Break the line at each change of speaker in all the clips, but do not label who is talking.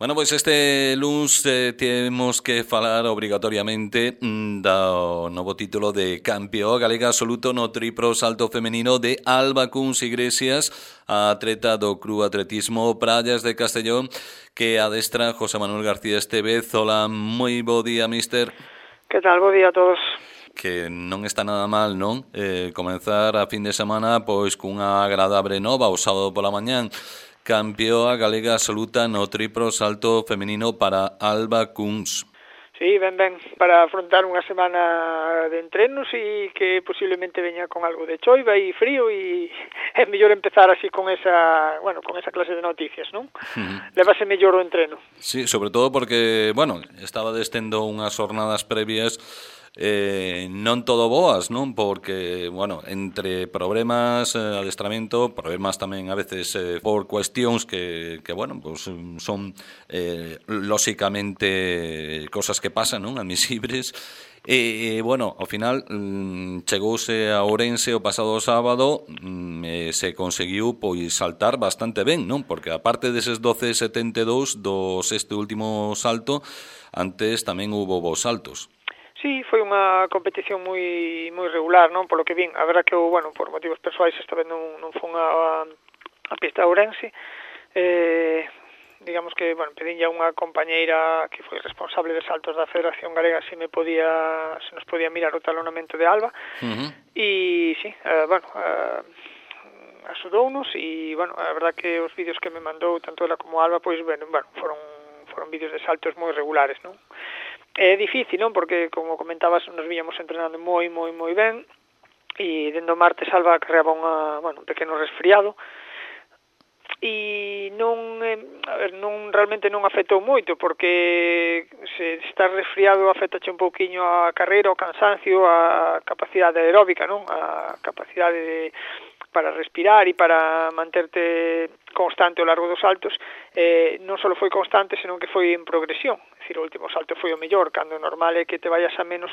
Bueno, pois este luns temos que falar obrigatoriamente do novo título de campeón galega absoluto no triplo salto femenino de Alba Cuns Iglesias, a atleta do Club Atletismo Prallas de Castellón, que adestra José Manuel García Estevez. Hola, moi bo día, mister.
Que tal? Bo día a todos.
Que non está nada mal, non? Comenzar a fin de semana pois cunha agradable nova o sábado pola mañán. Campeoa galega absoluta no triplo salto femenino para Alba Cuns.
Sí, ben, para afrontar unha semana de entrenos e que posiblemente veña con algo de choiva e frío e é mellor empezar así con esa clase de noticias, non? Levase mellor o entreno.
Sí, sobre todo porque, estaba destendo unhas jornadas previas non todo boas, non? Porque, entre problemas, adestramento, problemas tamén a veces por cuestións que son lóxicamente cosas que pasan, non? Admisibles. Ao final chegouse a Ourense o pasado sábado se conseguiu pois saltar bastante ben, non? Porque aparte deses 12.72 do sexto último salto, antes tamén hubo bons saltos.
Sí, foi unha competición moi regular, non? Polo que vin, a verdad que por motivos persoais esta vez non fun a pista de Ourense. Digamos que, pedinlle a unha compañeira que foi responsable de saltos da Federación Galega se nos podía mirar o talonamento de Alba. E sí, axudounos e, a verdad que os vídeos que me mandou tanto ela como Alba, pois, foron vídeos de saltos moi regulares, non? É difícil, non? Porque, como comentabas, nos víamos entrenando moi ben e dende o martes Alba carreaba un pequeno resfriado e realmente non afectou moito porque se estás resfriado afectache un pouquiño a carreira, o cansancio, a capacidade aeróbica, non? A capacidade para respirar e para manterte constante ao largo dos saltos. Non só foi constante, senón que foi en progresión. É dicir, o último salto foi o mellor, cando o normal é que te vayas a menos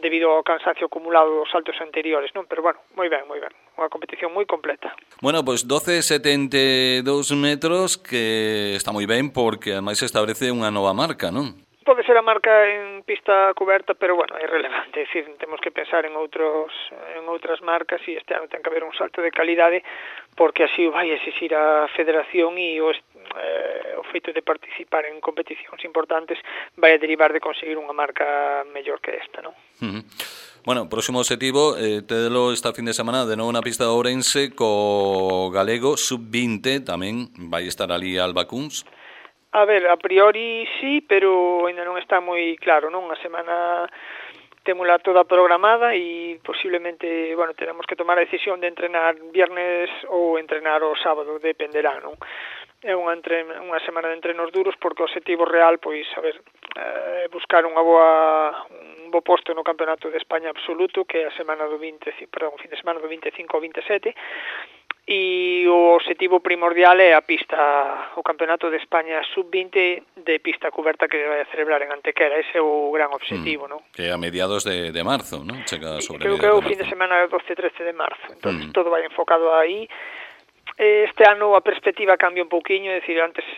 debido ao cansancio acumulado dos saltos anteriores, non? Pero moi ben. Unha competición moi completa.
Bueno, pois 12.72 metros, que está moi ben porque ademais establece unha nova marca, non?
Pode ser a marca en pista coberta, pero é irrelevante, é dicir, temos que pensar en outras marcas e este ano ten que haber un salto de calidade porque así o vai exixir a federación e o feito de participar en competicións importantes vai a derivar de conseguir unha marca mellor que esta, non?
Bueno, próximo objetivo, tedelo esta fin de semana de novo na pista de Ourense co galego sub-20, tamén vai estar ali Alba Cuns.
A ver, a priori sí, pero ainda non está moi claro, non? A semana témola toda programada e posiblemente, teremos que tomar a decisión de entrenar viernes ou entrenar o sábado, dependerá, non? É unha semana de entrenos duros porque o objetivo real, buscar un bo posto no Campeonato de España absoluto, que é a semana do fin de semana do 25 ao 27, e o objetivo primordial é o Campeonato de España sub-20 de pista coberta que vai a celebrar en Antequera. Ese é o gran objetivo, non?
Que a mediados de marzo, non?
Creo que é o fin de semana 12-13 de marzo. Entón, todo vai enfocado aí. Este ano a perspectiva cambia un pouquiño, é dicir, antes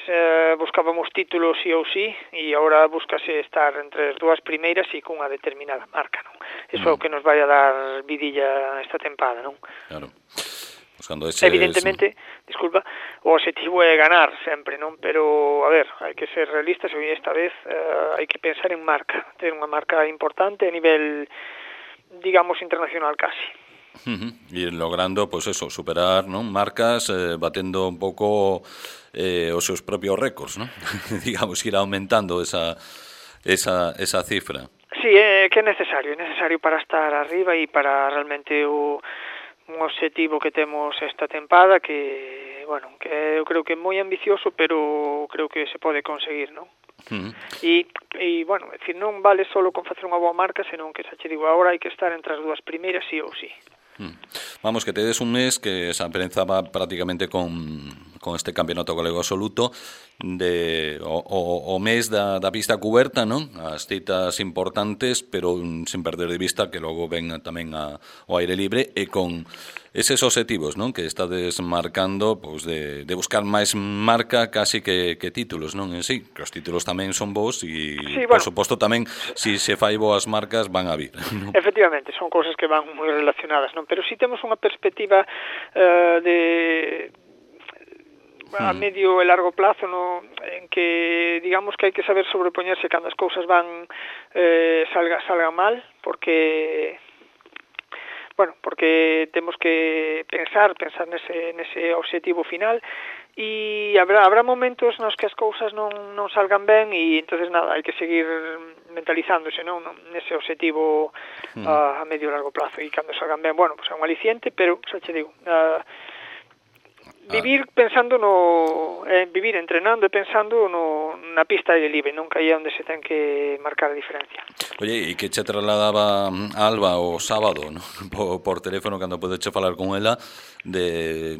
buscábamos títulos sí ou sí, e agora búscase estar entre as dúas primeiras e cunha determinada marca, non? Iso é o que nos vai a dar vidilla esta tempada, non?
Claro.
Evidentemente, o objetivo é ganar sempre, non? Pero, a ver, hai que ser realistas e esta vez hai que pensar en marca, ter unha marca importante a nivel, digamos, internacional casi.
E logrando, superar, non? Marcas, batendo un pouco os seus propios récords, non? Digamos, ir aumentando esa cifra.
Sí, é que é necesario para estar arriba e para realmente un objetivo que temos esta tempada que eu creo que é moi ambicioso, pero creo que se pode conseguir, non? E decir, non vale solo con facer unha boa marca, senón que, xa che digo, agora hai que estar entre as dúas primeiras sí ou sí.
Vamos, que tedes un mes que esa prensa va prácticamente con con este campeonato galego absoluto o mes da pista cuberta, non? As citas importantes, pero sen perder de vista que logo ven tamén ao aire libre e con eses obxectivos, non? Que estades marcando, pois de buscar máis marca casi que títulos, non? En sí, que os títulos tamén son vos e, sí, bueno, por suposto, tamén si se fai boas marcas van a vir, non?
Efectivamente, son cousas que van moi relacionadas, non? Pero si temos unha perspectiva a medio e largo plazo, no, en que digamos que hai que saber sobrepoñerse cando as cousas van salgan mal, porque temos que pensar nese obxectivo final, e habrá momentos nos que as cousas non salgan ben, e entonces nada, hai que seguir mentalizándose, non, nese obxectivo a medio e largo plazo, e cando salgan ben, bueno, pues é un aliciente, pero xa che digo, vivir pensando vivir entrenando e pensando na pista de libre, non que aí é onde se ten que marcar a diferencia.
Oye, e que che trasladaba Alba o sábado, ¿no? por teléfono, cando podeche falar con ela, de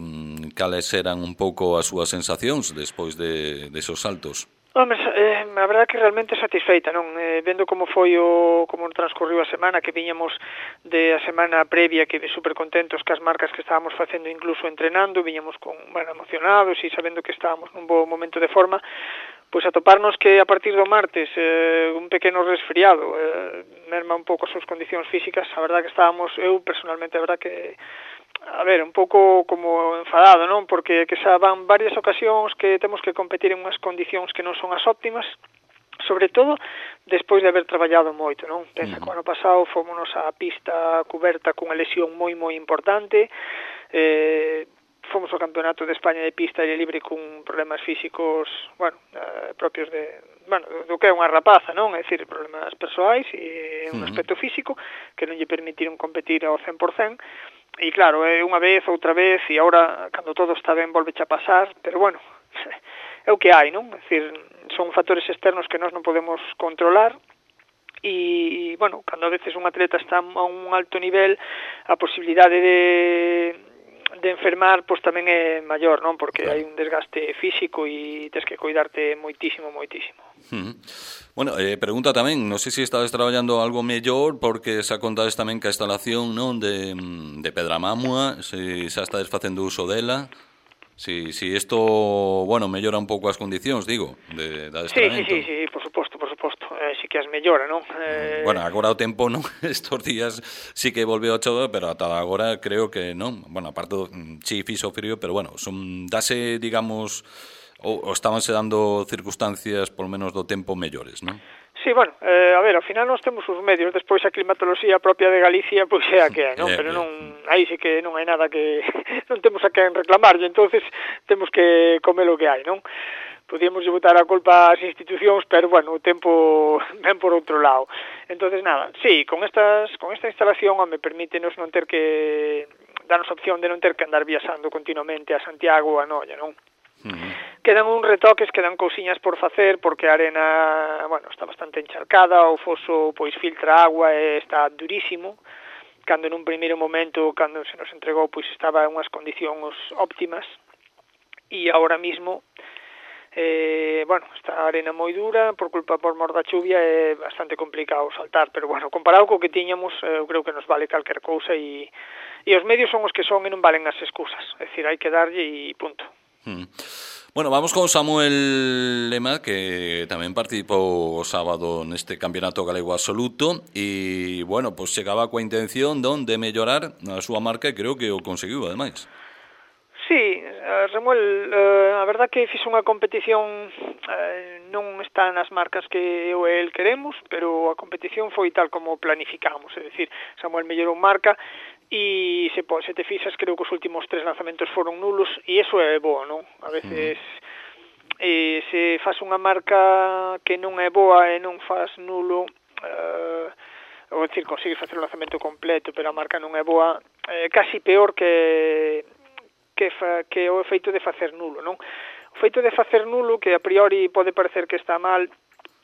cales eran un pouco as súas sensacións despois de esos saltos?
Home, a verdade que realmente satisfeita, non? Vendo como foi como transcorriu a semana, que viñamos de a semana previa, que super contentos cas marcas que estábamos facendo, incluso entrenando, viñamos emocionados e sabendo que estábamos nun bo momento de forma, pois atoparnos que a partir do martes un pequeno resfriado merma un pouco as súas condicións físicas, a verdade que estábamos, eu personalmente, a verdade que un pouco como enfadado, non? Porque que xa van varias ocasións que temos que competir en unhas condicións que non son as óptimas, sobre todo despois de haber traballado moito, non? Pensa que o ano pasado fomos a pista cuberta cunha lesión moi importante, fomos ao Campeonato de España de pista e libre con problemas físicos, propios do que é unha rapaza, non? É dicir, problemas persoais e un aspecto físico que non lle permitiron competir ao 100%. E claro, unha vez, outra vez, e agora, cando todo está ben, volveche a pasar, pero bueno, é o que hai, non? É dicir, son factores externos que nós non podemos controlar, e, bueno, cando a veces un atleta está a un alto nivel, a posibilidade de enfermar, pois tamén é maior, non? Porque hai un desgaste físico e tens que cuidarte moitísimo.
Bueno, pregunta tamén, non sei se estades traballando algo mellor, porque xa contades tamén que a instalación, non, de Pedramamua, se xa estades facendo uso dela, si isto, bueno, mellora un pouco as condicións, digo, de adestramento.
Sí, por suposto, sí que as mellora, non?
Bueno, agora o tempo, non, estos días sí que volveu a chover, pero ata agora creo que non, bueno, aparte sí fixo frío, pero bueno, dase, digamos, ou estabanse dando circunstancias, polo menos do tempo, mellores, non?
Sí, bueno, ao final nós temos os medios, despois a climatoloxía propia de Galicia, pois é a que é, non? Pero non, aí sí que non hai nada que non temos a quen reclamarlle, entonces temos que comer o que hai, non? Podíamos botar a culpa ás institucións, pero bueno, o tempo ven por outro lado. Entonces nada, sí, con esta instalación me permítenos non ter que darnos opción de non ter que andar viaxando continuamente a Santiago ou a Noia, non? Quedan uns retoques, quedan cousiñas por facer, porque a arena, está bastante encharcada, o foso pois filtra agua e está durísimo, cando nun primeiro momento, cando se nos entregou, pois estaba en unhas condicións óptimas, e agora mismo está a arena moi dura, por mor da chuvia é bastante complicado saltar, pero comparado co que tiñamos, eu creo que nos vale calquer cousa, e os medios son os que son e non valen as excusas, é dicir, hai que darlle e punto.
Bueno, vamos con Samuel Lema, que tamén participou o sábado neste campeonato galego absoluto e, bueno, pois chegaba coa intención de mellorar a súa marca e creo que o conseguiu, ademais.
Sí, Samuel, a verdad que fixo unha competición, non está nas marcas que eu e el queremos, pero a competición foi tal como planificamos, é dicir, Samuel mellorou marca, e se te fixas, creo que os últimos 3 lanzamentos foron nulos, e iso é boa, non? A veces se faz unha marca que non é boa e non faz nulo, ou dicir, consigues facer o lanzamento completo, pero a marca non é boa, casi peor que o efeito de facer nulo, non? O feito de facer nulo, que a priori pode parecer que está mal,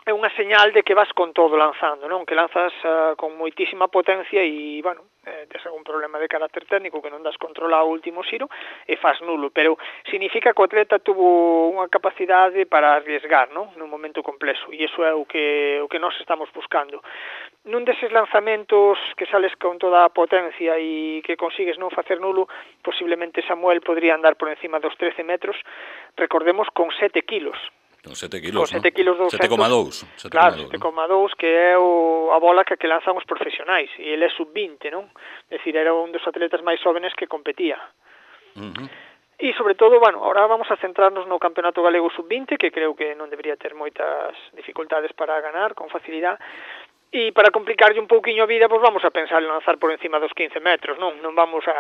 é unha señal de que vas con todo lanzando, non? Que lanzas con moitísima potencia e, bueno, tes algún problema de carácter técnico que non das control ao último xiro e faz nulo, pero significa que o atleta tuvo unha capacidade para arriesgar, non? Nun momento complexo, e iso é o que nós estamos buscando. Nun deses lanzamentos que sales con toda a potencia e que consigues non facer nulo, posiblemente Samuel podría andar por encima dos 13 metros, recordemos, con 7 kilos.
Con 7 kilos,
con 7 kilos
7,2.
Claro, 7,2, que é a bola que lanzan os profesionais, e ele é sub-20, non? É dicir, era un dos atletas máis jóvenes que competía. E, sobre todo, bueno, ahora vamos a centrarnos no Campeonato Galego sub-20, que creo que non debería ter moitas dificultades para ganar con facilidade. E para complicarlle un pouquiño a vida, pois vamos a pensar en lanzar por encima dos 15 metros, non vamos a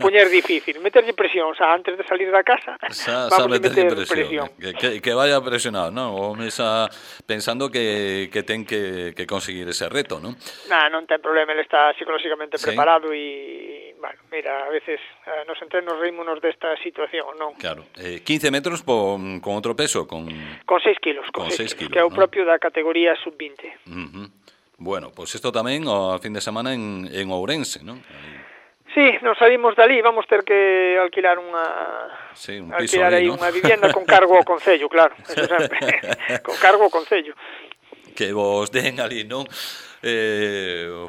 poñer difícil, meterlle presión, antes de salir da casa, vamos a meter presión.
Que vaya presionado, non? O mesa pensando que ten que conseguir ese reto, non?
Non ten problema, ele está psicológicamente preparado e, bueno, mira, a veces nos entrenos reímonos desta situación, non?
Claro, 15 metros con outro peso, con
6 kilos,
con 6 kilos,
que é o propio da categoría sub-20.
Bueno, pois isto tamén ao fin de semana en Ourense, non?
Sí, nos salimos dali, vamos ter que alquilar un piso aí, ¿no? Unha vivienda con cargo ao concello, claro, eso sempre, con cargo ao concello.
Que vos den ali, non?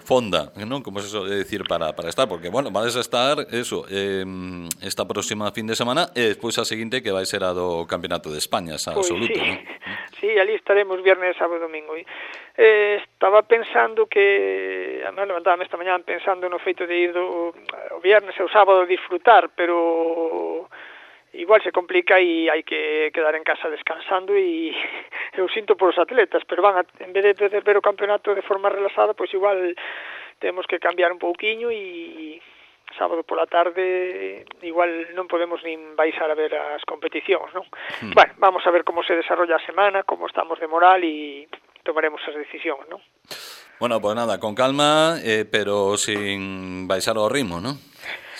Fonda, non? Como se suele decir para estar, porque, bueno, vais a estar eso, esta próxima fin de semana e despois a seguinte que vai ser a do Campeonato de España, esa absoluto,
sí.
Non?
Sí, ali estaremos viernes, sábado e domingo. Estaba pensando que, además levantábame esta mañá pensando no feito de ir o viernes e o sábado a disfrutar, pero igual se complica e hai que quedar en casa descansando e eu sinto por os atletas, pero en vez de ver o campeonato de forma relaxada, pois igual temos que cambiar un pouquiño e sábado pola tarde igual non podemos nin baixar a ver as competicións, non? Bueno, vamos a ver como se desarrolla a semana, como estamos de moral e tomaremos as decisións, non?
Bueno, pues nada, con calma, pero sin baixar o ritmo, non?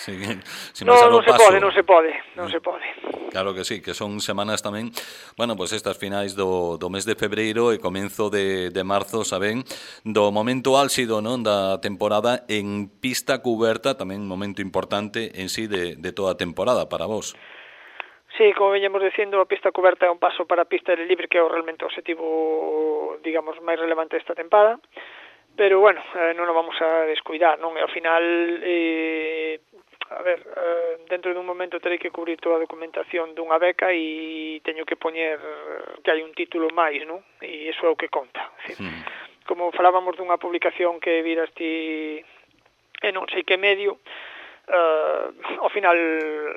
Non se pode.
Claro que sí, que son semanas tamén, bueno, pues estas finais do mes de febreiro e comenzo de marzo, saben, do momento álxido, non, da temporada en pista cuberta, tamén un momento importante en sí de toda a temporada para vos.
Sí, como veñemos dicindo, a pista cuberta é un paso para a pista aire libre, que é realmente o objetivo, digamos, máis relevante desta temporada, pero, bueno, non o vamos a descuidar, non? E ao final, dentro dun momento terei que cubrir toda a documentación dunha beca e teño que poñer que hai un título máis, non? E iso é o que conta. Como falábamos dunha publicación que viras ti e non sei que medio, ao final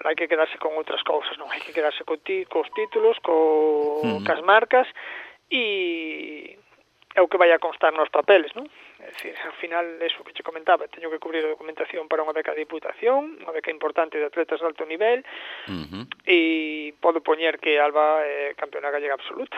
hai que quedarse con outras cousas, non? Hai que quedarse cos títulos, cas marcas e é o que vai a constar nos papeles, non? É dicir, ao final, eso que che comentaba, teño que cubrir a documentación para unha beca de diputación, unha beca importante de atletas de alto nivel, e podo poñer que Alba é campeona gallega absoluta.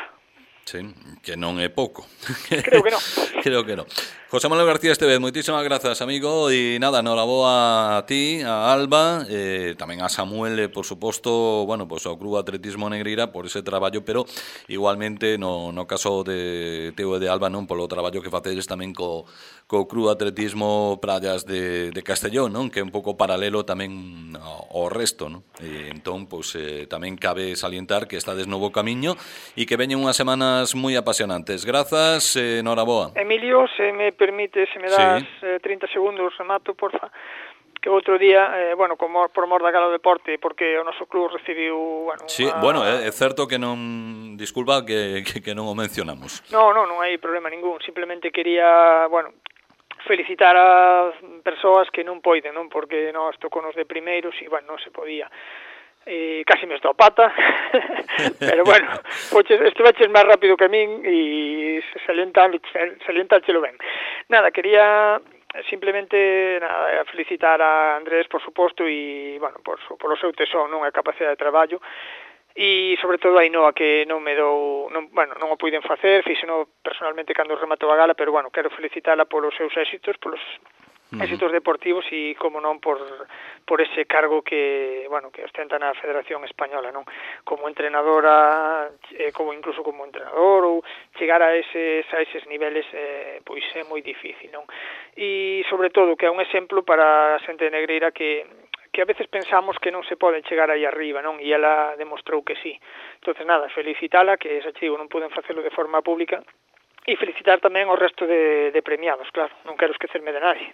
Sí, que non é pouco.
Creo que non.
Creo que non. José Manuel García Estevez, moitísimas grazas, amigo, e nada, enhoraboa a ti, a Alba, tamén a Samuel, por suposto, bueno, pues ao Club Atletismo Negreira por ese traballo, pero igualmente no caso de teu e de Alba, non, polo traballo que facedes tamén co Club Atletismo Prallas de Castellón, non, que é un pouco paralelo tamén ao resto, non? E entón, pues, tamén cabe salientar que estades no bo camiño e que veñen unhas semanas moi apasionantes. Grazas, enhoraboa.
Emilio, se me permite, se me das 30 segundos, remato, porfa, que outro día, bueno, por mor da Gala do Deporte, porque o noso club recibiu, bueno...
Sí, bueno, é certo que non... Disculpa que non o mencionamos.
Non hai problema ningún, simplemente quería, bueno, felicitar a persoas que non poiden, non? Porque nós toconos de primeiros e, bueno, non se podía. Casi me estou a pata, pero bueno, estiveches máis rápido que a min e salientáchelo ben. Nada, quería simplemente felicitar a Andrés, por suposto, e, bueno, por o seu tesón, non, a capacidade de traballo, e sobre todo a Ainhoa, que non o puiden facer, fíxeno personalmente cando rematou a gala, pero bueno, quero felicitala polos seus éxitos, polos éxitos deportivos e, como non, por ese cargo que, bueno, que ostenta na Federación Española, non? Como entrenadora, como incluso como entrenador, ou chegar a eses niveles, pois é moi difícil, non? E, sobre todo, que é un exemplo para a xente negreira que a veces pensamos que non se pode chegar aí arriba, non? E ela demostrou que sí. Entonces, nada, felicitala, que xa digo, non poden facelo de forma pública, e felicitar tamén ao resto de premiados, claro, non quero esquecerme de nadie.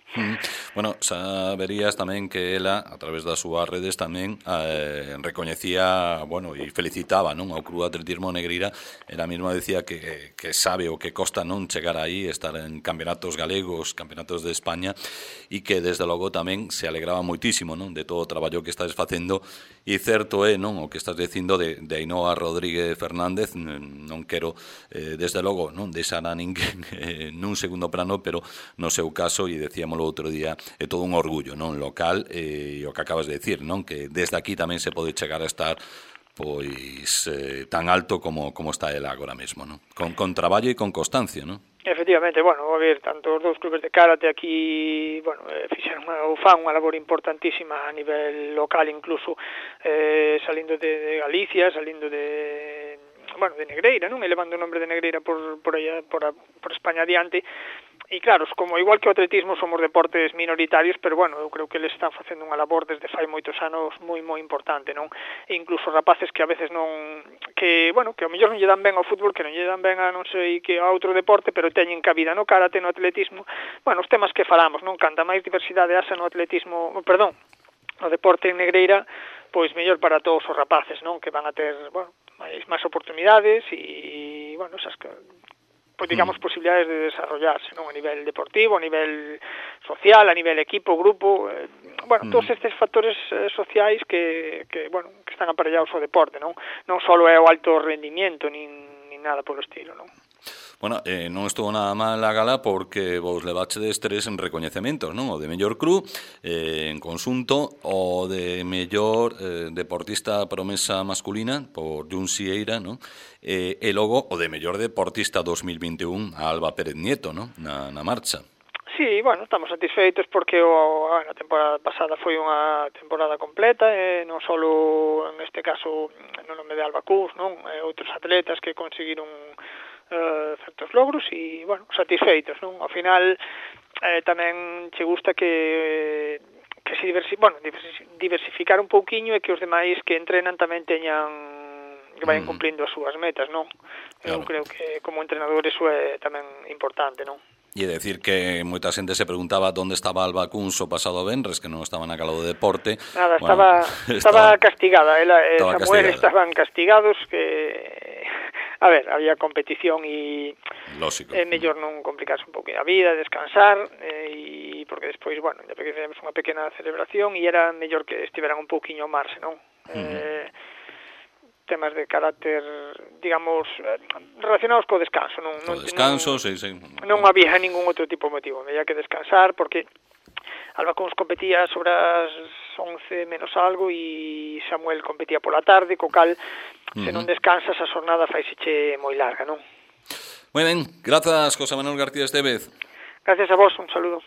Bueno, saberías tamén que ela, a través das súas redes tamén, recoñecía, bueno, e felicitaba, non, ao Club Atletismo Negreira. Ela mesma decía que sabe o que costa non chegar aí, estar en campeonatos galegos, campeonatos de España, e que desde logo tamén se alegraba moitísimo, non, de todo o traballo que estás facendo. E certo é, non, o que estás dicindo de Ainhoa Rodríguez Fernández, non quero, desde logo, non, deixar a ninguén nun segundo plano, pero no seu caso, e decíamolo outro día, é todo un orgullo, non, local, e o que acabas de decir, non, que desde aquí tamén se pode chegar a estar pois tan alto como está ela agora mesmo, non? Con traballo e con constancia, non?
Efectivamente, bueno, a ver, tanto os dous clubes de karate aquí, bueno, fixeron ou fan unha labor importantísima a nivel local, incluso salindo de Galicia, salindo de Negreira, non? Elevando o nombre de Negreira por España adiante. E claro, como igual que o atletismo somos deportes minoritarios, pero bueno, eu creo que eles están facendo unha labor desde fai moitos anos moi importante, non? E incluso rapaces que a veces non, que, bueno, que ao mellor non lle dan ben ao fútbol, que non lle dan ben a non sei que a outro deporte, pero teñen cabida no karate, no atletismo. Bueno, os temas que falamos, non? Canta máis diversidade haxa no atletismo, perdón, no deporte en Negreira, pois mellor para todos os rapaces, non? Que van a ter, bueno, máis oportunidades e, bueno, esas que, pois digamos, posibilidades de desarrollarse, non? A nivel deportivo, a nivel social, a nivel equipo, grupo, bueno, todos estes factores sociais que bueno, que están aparellados ao deporte, non? Non só é o alto rendimiento, nin nada polo estilo, non?
Bueno, non estuvo nada mal a gala porque vos levachedes 3 en recoñecementos, non? O de mellor club en conxunto, o de mellor deportista promesa masculina por Jun Sieira, non? E logo o de mellor deportista 2021 a Alba Pérez Nieto, non? Na marcha.
Sí, bueno, estamos satisfeitos porque a temporada pasada foi unha temporada completa, non só en este caso no nome de Alba Cus, non? Outros atletas que conseguiron certos logros e, bueno, satisfeitos, non? Ao final tamén che gusta que se diversificar un pouquiño e que os demais que entrenan tamén teñan, que vayan cumplindo as súas metas, non? Claro. Eu creo que como entrenador eso é tamén importante, non?
E decir que moita xente se preguntaba onde estaba Alba Cunso o pasado venres, que non estaba na gala do deporte.
Nada, estaba castigada, ela e Samuel estaban castigados, que a ver, había competición e é mellor non complicarse un pouco a vida, descansar, e porque despois, bueno, ya que fizemos unha pequena celebración e era mellor que estiveran un pouquiño ao marxe, non? Temas de carácter, digamos, relacionados co descanso, non?
Co descanso, sí.
Non había ningún outro tipo de motivo, había que descansar porque Alba Cons competía sobre as 11 menos algo e Samuel competía pola tarde, co cal, se non descansas, a xornada faiseche moi larga, non?
Moi ben, grazas, José Manuel García Estevez.
Gracias a vos, un saludo.